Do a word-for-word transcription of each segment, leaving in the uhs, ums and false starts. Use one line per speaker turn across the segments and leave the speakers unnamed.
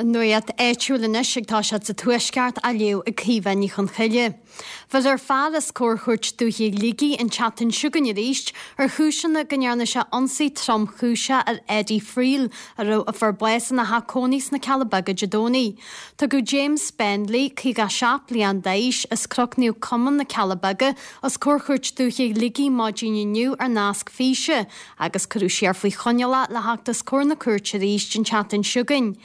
An nuacht áitiúil anois ag toiseacht sa Tuaisceart á léamh ag Caoimhe Ní Chonchoille. Bheir fear os comhair Chúirt Dúiche Shligigh an tseachtain seo chugainn arís ar chúiseanna go ndearna sé ionsaí tromchúiseach ar Eddie Friel a raibh a fuair bás ina theach cónaí sna Cealla Beaga Dé Domhnaigh. Tugadh James Spendley caoga seacht bliain d'aois as Cnoc Naomh Comáin na Cealla Beaga os comhair Chúirt Dúiche Shligigh maidin inniu ar nasc físe agus cuireadh siar faoi choinneáil le theacht os comhair na cúirte arís an tseachtain seo chugainn.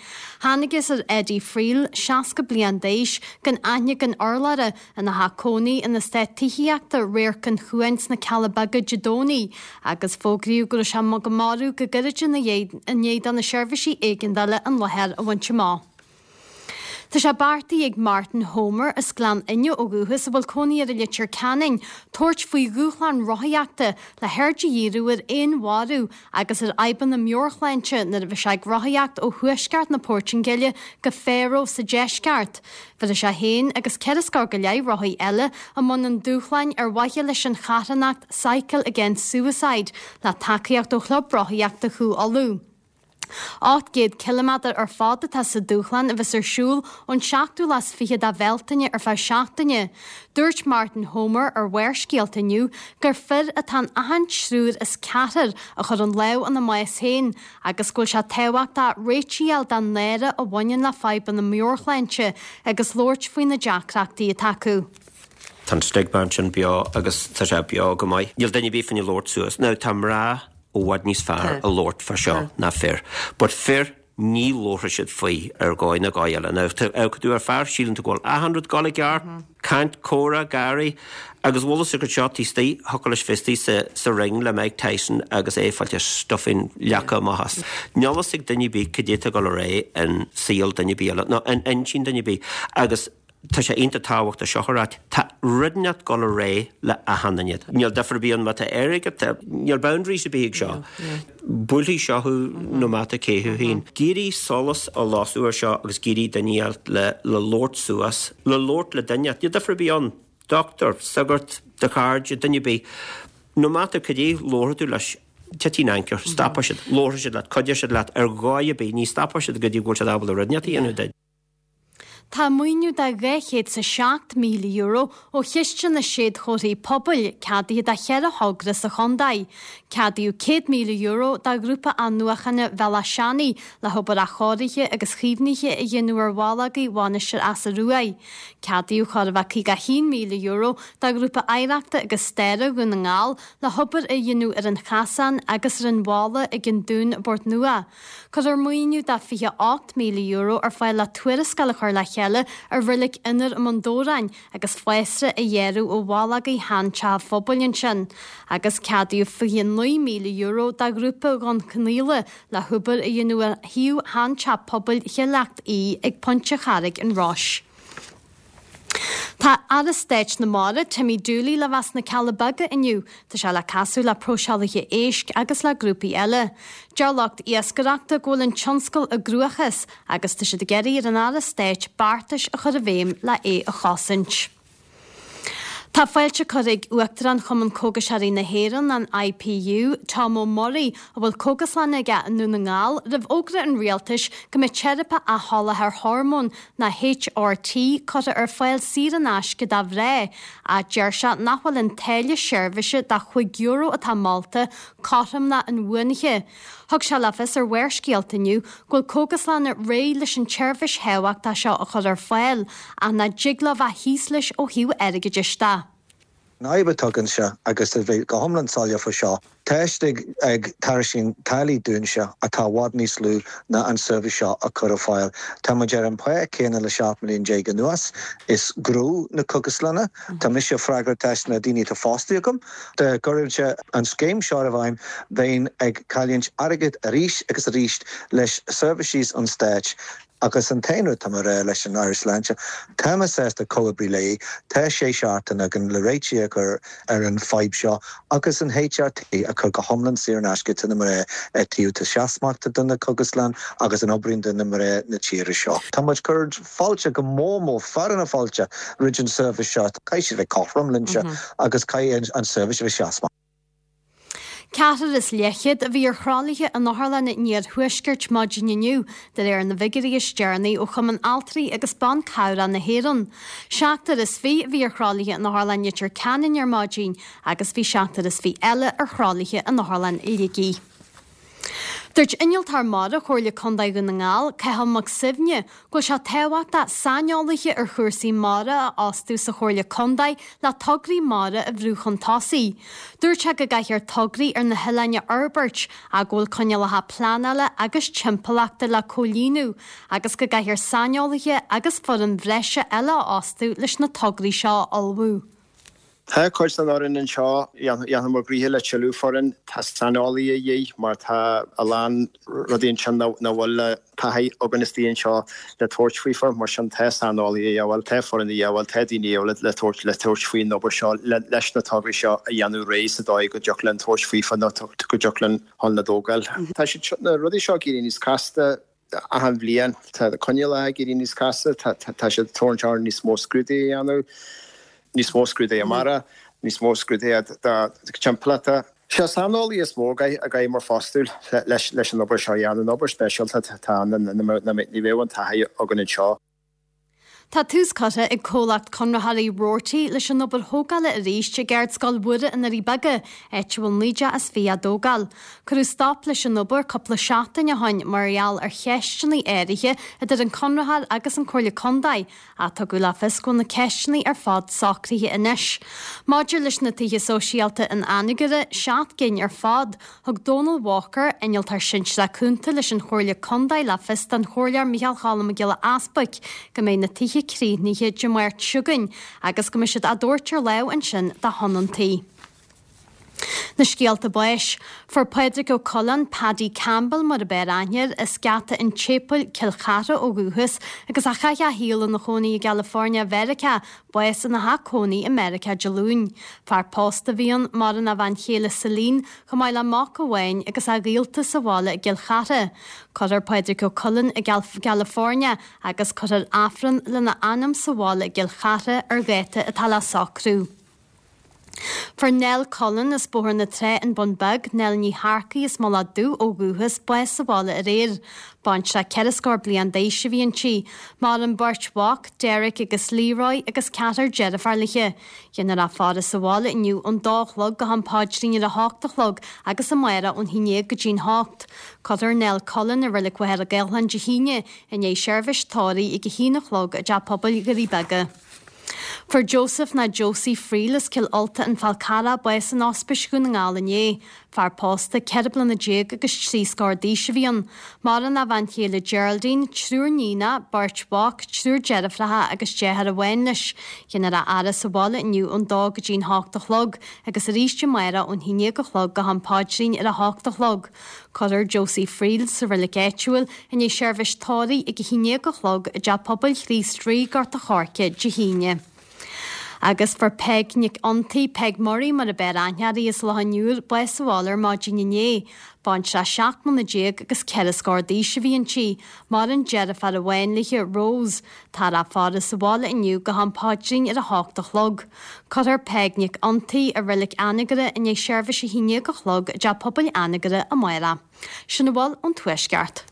Thángthas ar Eddie Friel seasca bliain d'aois gan aithne gan urlabhra ina theach cónaí in eastát tithíochta Radharc an Chuain sna Cealla Beaga Dé Domhnaigh agus fógraíodh go raibh sé go marbh go gairid ina ndiaidh do na seirbhísí éigeandála an láthair a bhaint amach. Tá sé beartaithe ag Martin Homer as Gleann Fhinne ó dhúchas a bhfuil cónaí air i Leitir Ceanainn, tabhairt faoi dhúshlán rothaíochta le haird a dhíriú ar fhéinmharú agus ar fhadhbanna meabhairshláinte nuair a bheidh sé ag rothaíocht ó thuaisceart na Portaingéile go Faro sa deisceart. Bheir sé féin agus ceithre scór go leith rothaí eile i mbun an dúshláin ar mhaithe leis an charthanacht Cycle Against Suicide le tacaíocht ó chlub rothaíochta Chú Uladh. Ocht gcéad ciliméadar ar fad atá sa dúshlán a bheas ar siúl ón seachtú lá is fiche de Bhealtaine ar feadh seachtaine. Dúirt Martin Homer ar Bharrscéalta inniu gur fir atá in achan triúr as ceathrar a chuireann lámh ina mbás féin agus go bhfuil sé tábhachtach réiteach a fháil don náire a bhaineann le fadhbanna meabhairshláinte agus labhairt faoi na deacrachtaí atá acu.
Tá an stigma sin beo agus tá sé beo go maith. Níl duine ar bith fá labhairt suas. Now tá mná i bhfad níos fearr a labhairt fá seo ná fir. But fir ní labhróidh siad faoi ar dhóigh nó dhóigh eile. Now tú ar fear síleann tú go bhfuil achan rud ag dul i gceart, caint comhrá gáirí agus bhfuil go seo tíí thucail leis fistí sa, sa ring le Mike Tyson agus é fáilte stuffing leaca amach as. Níl a fhios ag duine ar bith cad é atá ag dul ar aghaidh in saol duine ar bith eile, nó in intinn duine ar bith agus tá sé iontach tábhachtach seo a rá tá rud ag dul ar aghaidh le achan duine. Níl difear ar bith ann má tá airgead níl boundaries ar bith ag seo. Buailfidh seo thú no matter cé thú féin. Géirí solas a losú ar seo agus géirí duine le le labhairt suas, le labhairt le duine, níl difear ar bith ann. Doctor, sagart, do chairde, duine ar bith. No matter cad é labhróidh tú leis titfidh an anchor, stopfaidh siad, labhróidh siad leat, cuideoidh siad leat ar dhóigh ar bith, ní stopfaidh siad go dtí go bhfuil siad ábalta rud inteacht a dhéanamh duit.
Tá maoiniú de dhá chéad is a seacht míle euro ó chiste na séadchomharthaí pobail ceadaithe do cheithre thogra sa chontae. Ceadaíodh céad míle euro do ghrúpa athnuachana Bhealach Seanaidh le hobair athchóirithe agus chaomhnaithe a dhéanamh ar bhallógaí Mhainistir Easa Ruaidh. Ceadaíodh chóir a bheith caoga haon míle euro do ghrúpa oidhreachta agus staire Dhún na nGall le hobair a dhéanamh ar an chasán agus ar an bhalla ag an Dún i bPort Nua. Cuirfear maoiniú de fiche ocht míle euro ar fáil le tuarascáil a chur le chéile ar reilig Fhionnair i mBun Dobhráin agus fásra a ghearradh ó bhallógaí sheanteach phobail ansin, agus ceadaíodh fiche naoi míle euro do ghrúpa Dhún Cnaíle le hobair a dhéanamh ar shuíomh sheanteach pobail Chill Leacht Í ag Pointe Charraig an Rois. Tá Aire Stáit na Mara Timmy Dooley le bheith sna Cealla Beaga inniu, Tá sé le casadh le próiseálaithe éisc agus le grúpaí eile. Deir lucht iascaireachta go bhfuil an tionscal i gcruachás agus tá siad ag iarraidh ar an Aire Stáit beartais a chur i bhfeidhm le é a chosaint. Tá fáilte curtha ag Uachtarán Chumann Cógaiseoirí na hÉireann an IPU, Tom O'Murray, a bhfuil cógaslann aige i nDún na nGall, roimh fhógra an rialtais go mbeidh teiripe athsholáthair hormón nó HRT curtha ar fáil saor in aisce do mhná, ach deir sé nach bhfuil an táille seirbhíse de chúig euro atá molta cothrom ná inbhuanaithe. Thug sé le fios ar Bharrscéalta inniu go bhfuil cógaslanna réidh leis an tseirbhís thábhachtach seo a chur ar fáil, ach nach dtig leo bheith thíos leis ó thaobh airgeadais de.
An fhadhb atá anseo agus a bheith go hiomlán soiléir faoi seo. Tá siad ag tairiscint táillí dúinne atá i bhfad níos lú ná an seirbhís seo a chur ar fáil. Tá muid ar an pá céanna le seacht mbliana déag anuas is gnó na cógaslanna, Tá mise freagrach as na daoine atá fostaithe agam. Dá gcuirfí an scéim seo i bhfeidhm bheinn ag cailliúint airgead arís agus arís leis seirbhísí an stáit. agus an t-aon rud tá mé rá leis an Aire Sláinte, Tá mé sásta comhoibriú léi, tá sé seachtain againn le réiteach a chur ar an fadhb seo agus an HRT a chur go hiomlán saor in aisce do na mná taobh tá seasmhachta do na cógaslanna agus an oibríonn do na mná na tíre seo. Tá muid ag cur fáilte go mór mór fear na fáilte roimh an seirbhís seo, caithfidh sé bheith cothrom linnse agus caithfidh an seirbhís a bheith seasmhach.
Ceathrar is leathchéad a bhí ar thralaithe in Otharlann an Iarthuaiscirt maidin inniu, de réir na bhfigiúirí is deireanaí ó Chumann Altraí agus Ban Cabhrach na hÉireann. Seachtar is fiche a bhí ar thralaithe in Otharlann Leitir Ceanainn ar maidin agus bhí seachtar is fiche eile ar thralaithe in Otharlann Shligigh. Dúirt Innealtóir Mara Chomhairle Contae Dhún na nGall, Cathal Mac Suibhne, go bhfuil sé tábhachtach saineolaithe ar chúrsaí mara a fhostú sa Chomhairle Contae le tograí mara a bhrú chun tosaigh. Dúirt sé go gcaithfear tograí ar na hoileáin a fhorbairt ach go bhfuil coinníollacha pleanála agus timpeallachta le comhlíonadh agus go gcaithfear saineolaithe agus foireann bhreise eile a fhostú leis na tograí seo a ullmhú.
Tá cuid den fhoireann anseo, dhéanfadh gnoithe le tuilleadh foireann, tá saineolaí a dhíth mar tá a lán rudaí ansin nach bhfuil taithí againn istigh anseo le tabhairt faofa, mar sin tá saineolaí a dhíobháil, tá foireann a dhíobháil, tá daoine a dhíobháil le tabhairt le tabhairt faoin obair seo leis na tograí seo a dhéanamh réidh sa dóigh go dtiocfadh linn tabhairt faofa nó go dtiocfadh linn chun na dtógáil. Tá siad na rudaí seo ag éirí níos casta achan bhliain, tá na coinníollacha ag éirí níos casta, tá siad ag tabhairt orainn níos mó scrúduithe a dhéanamh. níos mó scrúduithe mara, níos mó scrúduithe timpeallachta. Sé saineolaí is mó a gcaithfidh muid fostú leis leis an obair seo a dhéanamh, an obair speisialta atá ann, ní bheadh an taithí againn anseo.
Tá tús curtha ag comhlacht conraitheoirí Roarty leis an obair thógála arís ag Ardscoil Mhuire i nDoirí Beaga, áit a bhfuil naoi dteach is fiche á dtógáil. Cuireadh stop leis an obair cúpla seachtain ó shin mar gheall ar cheisteanna áirithe idir an conraitheoir agus an Comhairle Contae, ach tugadh le fios go bhfuil na ceisteanna ar fad socraithe anois. Maidir leis na tithe sóisialta in Anagaire, seacht gcinn ar fad, thug Donal Walker, innealtóir sinsearach cúnta leis an Chomhairle Contae le fios don Chomhairleoir Micheál Cholm Mac Giolla Easbuic go mbeidh na tithe críochnaithe Dé Máirt seo chugainn agus go mbeidh siad á dtabhairt ar láimh ansin do thionóntaí. Na scéalta báis. Fuair Pádraig Ó Coileáin, Paddy Campbell mar ab fhearr aithne air, as Geata an tSéipéil, Cill Chartha ó dhúchas agus a chaith a shaol ina chónaí i gCalifornia Mheiriceá, bás ina theach cónaí i Meiriceá Dé Luain. Fear pósta a bhí ann, maireann a bhean chéile Celine, chomh maith le mac amháin agus a ghaolta sa bhaile i gCill Chartha. Cuirfear Pádraig Ó Coileáin i gCalifornia agus cuirfear Aifreann lena anam sa bhaile i gCill Chartha ar dháta atá le socrú. Fuair Nell Cullen as Bóthar na Trá an Bun Beag, Nell Ní Shearcaigh as Mullach Dubh ó dhúchas, bás sa bhaile aréir. Baintreach ceithre scór bliain d'aois a bhí inti. Maireann beirt mhac, Derek agus Leroy, agus ceathrar deirfiúr léi. Déanfar í a fhaire sa bhaile inniu ón dó a chlog go ham paidrín ar a hocht a chlog agus amárach ón haon déag go dtí'n hocht. Cuirfear Nell Cullen i Reilig Mhachaire Gathlán Dé hAoine i ndiaidh seirbhís tórraimh ag a haon a chlog i dTeach Pobail Dhoirí Beaga. Fuair Joseph ná Josie Friel as Cill Ulta an Fál Carrach bás in Ospís Dhún na nGall inné. Fear pósta ceithre bliana déag agus trí scór d'aois a bhí ann. Maireann a bhean chéile Geraldine, triúr níonacha, beirt mhac, triúr deirfiúracha agus deartháir amháin leis. Déanfar a fhaire sa bhaile inniu ón dó go dtí'n hocht a chlog agus arís amárach ón haon déag a chlog go ham paidrín ar a hocht a chlog. Cuirfear Josie Friel sa reilig áitiúil i ndiaidh seirbhís tórraimh ag a haon déag a chlog i dTeach Pobail Chríost Rí, Gort a' Choirce, Dé hAoine. Agus fuair Peig Nic Fhionntaigh, Peig Murray mar ab fhearr aithne uirthi, as Loch an Iúir, bás sa bhaile ar maidin inné. Baintreach seacht mbliana déag agus ceithre scór d'aois a bhí inti. Maireann deirfiúr amháin léi, Rose. Táthar á faire sa bhaile inniu go ham paidrín ar a hocht a chlog. Cuirfear Peig Nic Fhionntaigh i reilig Anagaire i ndiaidh seirbhís a haon déag a chlog i dTeach Pobail Anagaire amárach. Sin a bhfuil ón Tuaisceart.